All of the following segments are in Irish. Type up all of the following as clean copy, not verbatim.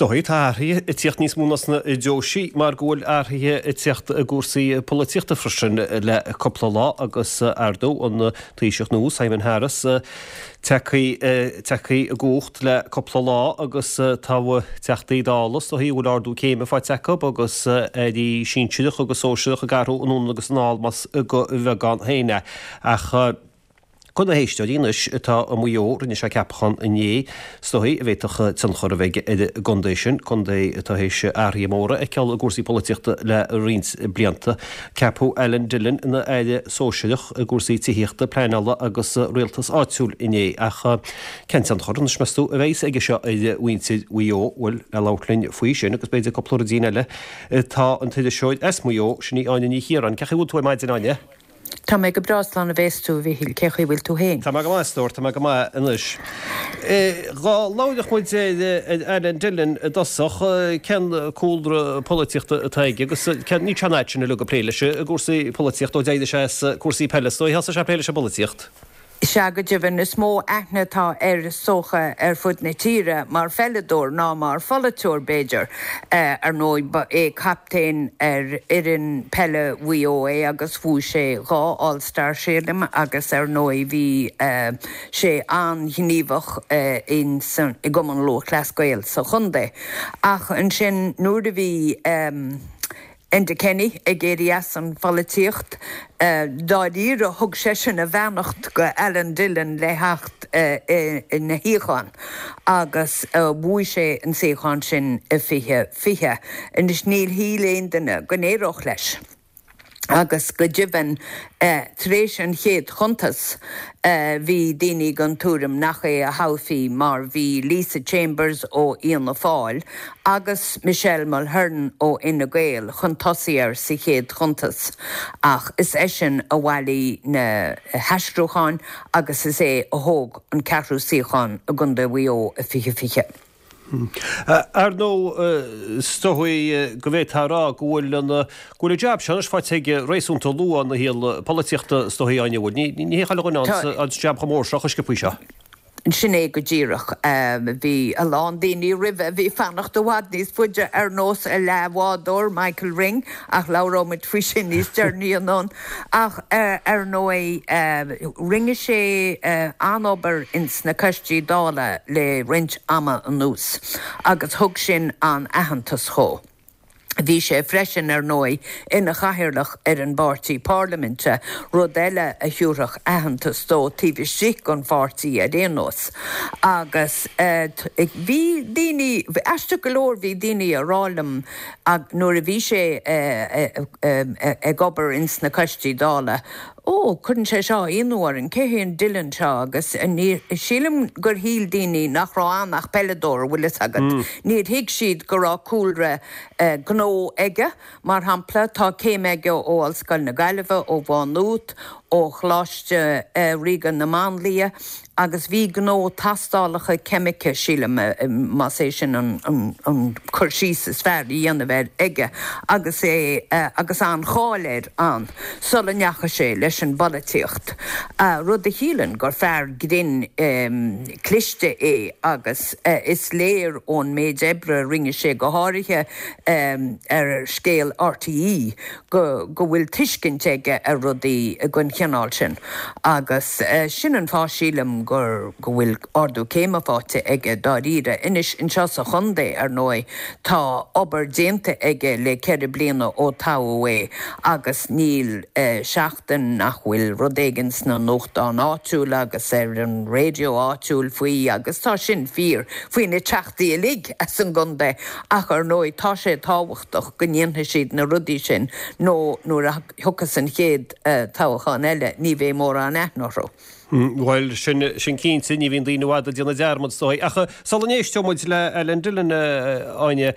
dóigh, tá athruithe ag tíocht níos mó ná sna deoisí mar go bhfuil athruithe ag tíocht i gcúrsaí polaitíochta freisin le cúpla lá agus ar ndóigh an Taoiseach nua Simon Harris tagtha i gcumhacht le cúpla lá agus tá Teachtaí Dála is dóigh a bhfuil ardú céime faighte acu agus airí sinsearach agus sóisearach ag athrú anonn agus anall más de bheagán féin é. Ach. Do na héisteoirí anois atá i Maigh Eo, rinne sé ceapachán inné, is dóigh, a bhféadfadh tionchar a bheith aige ar an gcontae sin, contae atá théis athruithe móra a fheiceáil i gcúrsaí polaitíochta le roinnt blianta. Ceapadh Alan Dillon ina aire sóisearach i gcúrsaí tithíochta, pleanála agus rialtas áitiúil inné. Ach cén tionchar, anois meas tú, a bheas aige seo ar mhuintir Mhaigh Eo? Bhuel, le labhairt linn faoi sin agus b'fhéidir cúpla ruidín eile, tá an t-iriseoir as Maigh Eo, sin í Áine Ní Chiaráin. Cén chaoi a bhfuil tú ar maidin, Áine? Tá mé go breá, slán a bhéas tú, a Mhichíl. Cén chaoi a bhfuil tú féin? Tá mé go maith, a stór, tá mé go maith anois. Dhá labhródh muid ar Alan Dillon i dtosach, cén cúlra polaitíochta atá aige agus cén, níl sé an fhad sin uilig ag plé leis i gcúrsaí polaitíochta ó d'éirigh sé as cúrsaí peile, is dóigh, thosaigh sé ag plé leis an bpolaitíocht. Sea, go deimhin, is mó aithne atá air is dócha ar fud na tíre mar pheileadóir ná mar pholaiteoir, b'fhéidir. Ar ndóigh, ba é captaen ar fhoireann peile Mhaigh Eo é agus bhuaigh sé dhá All Star, sílim, agus ar ndóigh bhí sé an-ghníomhach i gCumann Lúthchleas Gael sa chontae. Ach ansin nuair a bhí. Enda Kenny ag éirí as an pholaitíocht. Dáiríre, thug seisean a bheannacht go Alan Dillon le theacht ina shuíochán agus bhuaigh sé an suíochán sin i 2020. Anois níor shíl aon duine go n-éireodh leis agus go deimhin tar éis an chéad chuntas bhí daoine den tuairim nach é a thoghfaí mar bhí Lisa Chambers ó Fhianna Fáil agus Michelle Mulheren ó Fhine Gael chun tosaigh air sa chéad chuntas ach is eisean a bhailigh na haistriúcháin agus is é a thóg an ceathrú suíochán i gContae Mhaigh Eo i 2020. Ar ndóigh, is dóigh go bhféadfá a rá go bhfuil an go bhfuil an jab seo anois faighte aige réasúnta luath ina shaol polaitíochta, is dóigh, Áine, an bhfuil? Ní hé chuile dhuine an jab chomh mór seo chomh sciobthaí seo. Sin é go díreach. Bhí a lán daoine roimhe a bhí ag fanacht i bhfad níos faide, ar nós a leathbhádóir, Michael Ring, ach labhróidh muid faoi sin níos deireanaí anonn. Ach ar ndóigh, rinne sé an-obair ins na coistí Dála le roinnt ama anuas agus thug sin an-aitheantas dhó. Bhí sé freisin, ar ndóigh, ina chathaoirleach ar an bpáirtí parlaiminte, rud eile a thiúrfadh aitheantas dó taobh istigh den pháirtí ar aon nós. Agus bhí daoine, aisteach go leor, bhí daoine a rá liom nuair a bhí sé ag obair ins na coistí Dála, Ó, cuireann sé seo ionadh orainn, cé hé an Dillon seo? Agus ní, sílim gur shíl daoine nach raibh ann ach peileadóir, bhfuil fhios agat. Níor thuig siad go raibh cúlra gnó aige, mar shampla, tá céim aige ó Ollscoil na Gaillimhe, ó Mhá Nuat, ó Choláiste Ríoga na Máinlia, agus bhí gnó tastálacha ceimice, sílim, más é sin an cur síos is fearr a dhéanamh air, aige agus é agus an-cháil air ann sula ndeachaigh sé leis an bpolaitíocht, rud a chiallaíonn gur fear grinn cliste é agus is léir ón méid oibre a rinne sé, go háirithe ar scéal RTÉ, go go bhfuil tuiscint aige ar rudaí den chineál sin agus sin an fáth, sílim, gur go bhfuil ardú céime faighte aige dáiríre. Anois, anseo sa chontae, ar ndóigh, tá obair déanta aige le ceithre bliana ó toghadh é agus níl seachtain nach bhfuil rud éigin sna nuachtáin áitiúla agus ar an raidió áitiúil faoi agus tá sin fíor faoi na teachtaí uilig as an gcontae ach ar ndóigh tá sé tábhachtach go ndéanfaidh siad na rudaí sin nó nuair a thiocfas an chéad toghchán eile ní bheidh mórán aithne orthu. Bhuel, sin, sin cinnte, ní bhíonn daoine i bhfad ag déanamh dearmad, is dóigh. Ach sula n-éisteoidh muid le Alan Dillon, a Áine,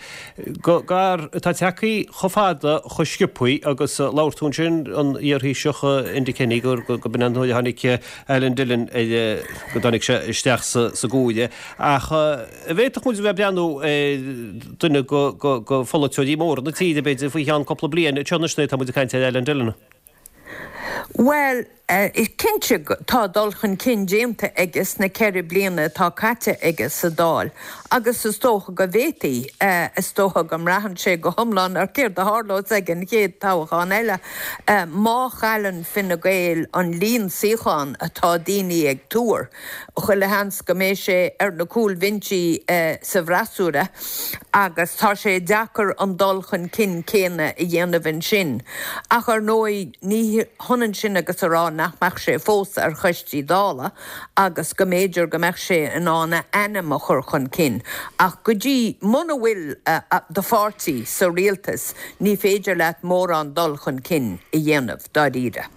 go gar atá tagtha chomh fada, chomh sciobthaí agus labhair tú ansin, an iar-Thaoiseach Enda Kenny, gur, go b'in an uair a tháinig Alan Dillon ar, go dtáinig sé isteach sa, sa gcomhairle. Ach. An bhféadfadh muid a bheith ag breathnú ar dhuine de pholaiteoirí móra na tíre, b'fhéidir, faoi cheann cúpla bliain? Anseo anois nuair atá muid ag caint ar Alan Dillon. Bhuel, Cinnte, tá dul chun cinn déanta aige sna 4 bliana atá caite aige sa Dáil agus is dócha go bhféadfaí, is dócha go mbraitheann sé go hiomlán ar céard a tharlós ag an chéad toghchán eile. Má chailleann Fine Gael an líon suíochán atá daoine ag tuar, chuile sheans go mbeidh sé ar na cúlbhinsí sa bhfreasúra agus tá sé deacair an dul chun cinn céanna a dhéanamh ansin. Ach ar ndóigh ní hionann sin agus a rá nach mbeadh sé fós ar choistí Dála agus go mb'fhéidir go mbeadh sé in ann a ainm a chur chun cinn. Ach go dtí, muna bhfuil do pháirtí sa rialtas ní féidir leat mórán dul chun cinn a dhéanamh dáiríre.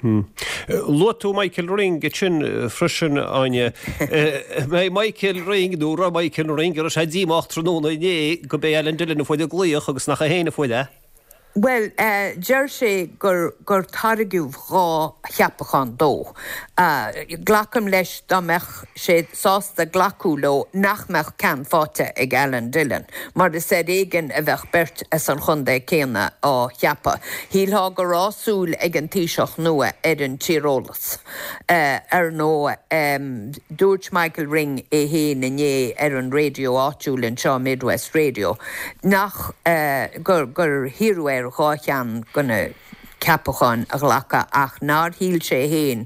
Luaigh tú Michael Ring ansin freisin, Áine. Mbeidh Michael Ring, nó raibh Michael Ring, an raibh sé díomách tráthnóna inné go b'é Alan Dillon a fuair an glaoch agus nach é féin a fuair é? Bhuel, deir sé gur gur tairgeadh 2 cheapachán dó. Glacaim leis dá mbeadh sé sásta glacadh leo nach mbeadh ceann faighte ag Alan Dillon, mar is ar éigean a bheadh beirt as an chontae céanna á cheapadh. Shílfeá go raibh súil ag an Taoiseach nua ar an tíreolas. Ar ndóigh, dúirt Michael Ring é féin inné ar an raidió áitiúil anseo, Midwest Radio, nach gur gur hiarradh air 2 cheann de na ceapacháin a ghlacadh ach nár shíl sé féin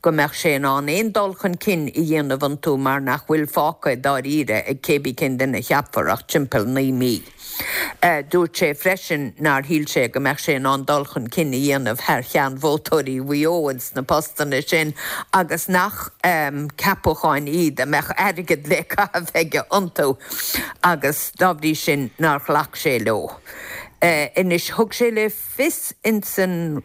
go mbeadh sé in ann aon dul chun cinn a dhéanamh iontu mar nach bhfuil fágtha dáiríre ag cébí cén duine a cheapfar ach timpeall 9 mí. Dúirt sé freisin nár shíl sé go mbeadh sé in ann dul chun cinn a dhéanamh thar cheann vótóirí Mhaigh Eo ins na postanna sin agus nach ceapacháin iad a mbeadh airgead le caitheamh aige iontu agus dá bhrí sin nár ghlac sé leo. Anois thug sé le fios ins an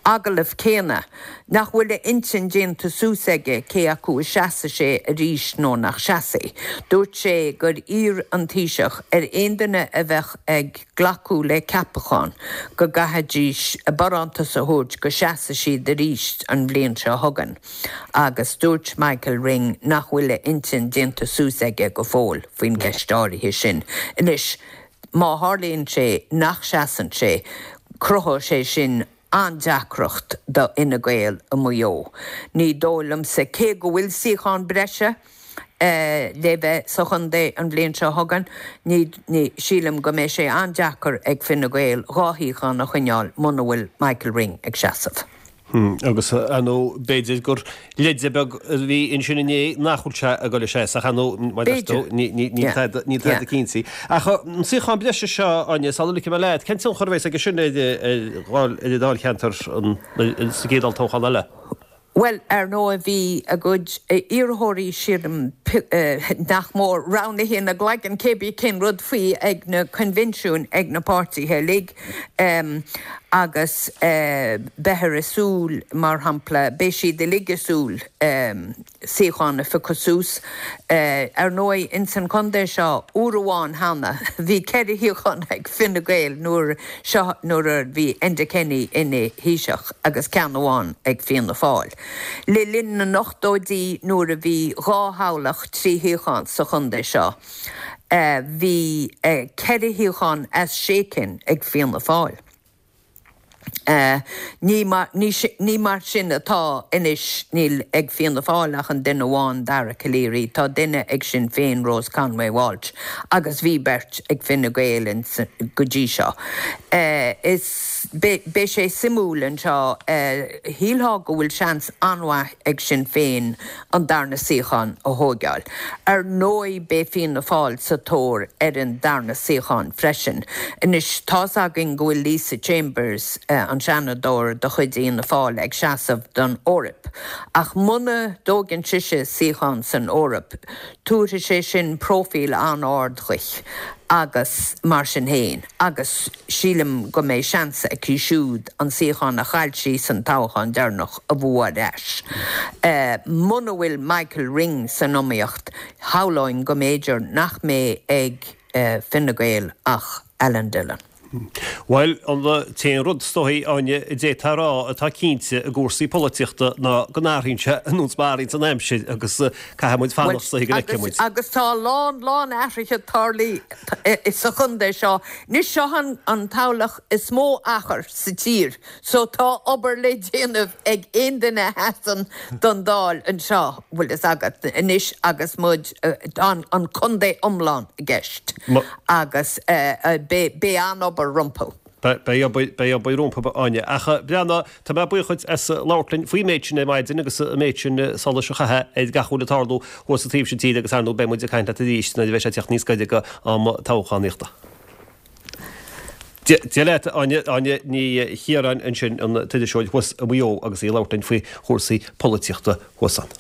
agallamh céanna nach bhfuil a intinn déanta suas aige cé acu a seasfaidh sé arís nó nach seasfaidh. Dúirt sé gur iarr an Taoiseach ar aon duine a bheadh ag glacadh le ceapachán go gcaithfidís a barántas a thabhairt go seasfaidh siad arís an bhliain seo chugainn agus dúirt Michael Ring nach bhfuil a intinn déanta suas aige go fóill faoin gceist áirithe sin. Anois. Má tharlaíonn sé nach seasann sé, cruthóidh sé sin an-deacracht do Fhine Gael i Maigh Eo. Ní dóigh liomsa, cé go bhfuil suíochán breise le bheith sa chontae an bhliain seo chugainn, ní, sílim go mbeidh sé an-deacair ag Fine Gael 2 shuíochán a choinneáil muna bhfuil Michael Ring ag seasamh. Agus, ar ndóigh, b'fhéidir gur leide beag a bhí ansin inné nach bhfuil sé ag dul a seasamh, ach ar ndóigh, mar a deir tú, níl tada cinnte. Ach an suíochán breise seo, Áine, sula ligfidh mé leat, cén tionchar a bheas aige sin ar an dáilcheantar sa gcéad olltoghchán eile? Bhuel, ar ndóigh, bhí a gcuid iarrthóirí, sílim, nach mór, roghnaithe ina gcloigeann, cébí cén rud faoi ag na coinbhinsiúin ag na páirtithe uilig. Agus beifear ag súil, mar shampla, beidh siad uilig ag súil suíochán a phiocadh suas. Ar ndóigh, ins an chontae seo, uair amháin cheana, bhí 4 shuíochán ag Fine Gael nuair seo nuair a bhí Enda Kenny ina Thaoiseach agus ceann amháin ag Fianna Fáil. Le linn na n-ochtóidí nuair a bhí 2 thoghlach 3 shuíochán sa chontae seo, Bhí 4 shuíochán as 6 cinn ag Fianna Fáil. Ní mar sin atá anois, níl ag Fianna Fáil ach an duine amháin, Dara Calleary, tá duine ag Sinn Féin, Rose Conway Walsh, agus bhí beirt ag Fine Gael go dtí seo. Is beidh sé suimiúil anseo, shílfeá go bhfuil seans an-mhaith ag Sinn Féin an darna suíochán a thóigeáil. Ar ndóigh beidh Fianna Fáil sa tóir ar an darna suíochán freisin. Anois tá's againn go bhfuil Lisa Chambers, an Seanadóir de chuid Fhianna Fáil ag seasamh don Eoraip. Ach muna dtóigeann sise suíochán san Eoraip, tabharfaidh sé sin próifíl an-ard dhuit agus mar sin féin agus sílim go mbeidh seans aici siúd an suíochán a chaill sí san toghchán deireanach a bhua ar ais. Muna bhfuil Michael Ring san iomaíocht, shamhlóinn go mb'fhéidir nach mbeidh ag Fine Gael ach Alan Dillon. Bhuel, an t-aon rud, is dóigh, Áine, a d'fhéadfá a rá atá cinnte i gcúrsaí polaitíochta ná go n-athraíonn sé ar nós mar a athraíonns an aimsir agus caithfidh muid fanacht is dóigh go bhfeicfidh muid. Agus tá a lán, lán athruithe tarlaithe sa chontae seo. Anois seo an toghlach is mó achar sa tír so tá obair le déanamh ag aon duine a sheasann don Dáil anseo, bhfuil fhios agat, anois agus muid, tá an contae iomlán i gceist agus beidh an-obair rompu. Beidh obair, beidh obair rompu, a Áine. Ach breathnaigh, tá mé buíoch dhuit as labhairt linn faoin méid sin ar maidin agus an méid sin solais a chaitheamh ar gach a bhfuil ag tarlú thuas sa taobh sin tíre agus ar ndóigh beidh muid ag caint leat arís nuair a bheidh sé ag teacht níos gaire go am toghchánaíochta. Dia leat, Áine, Áine Ní Chiaráin ansin, an t-iriseoir thuas i Maigh Eo agus í ag labhairt linn faoi chúrsaí polaitíochta thuas ann.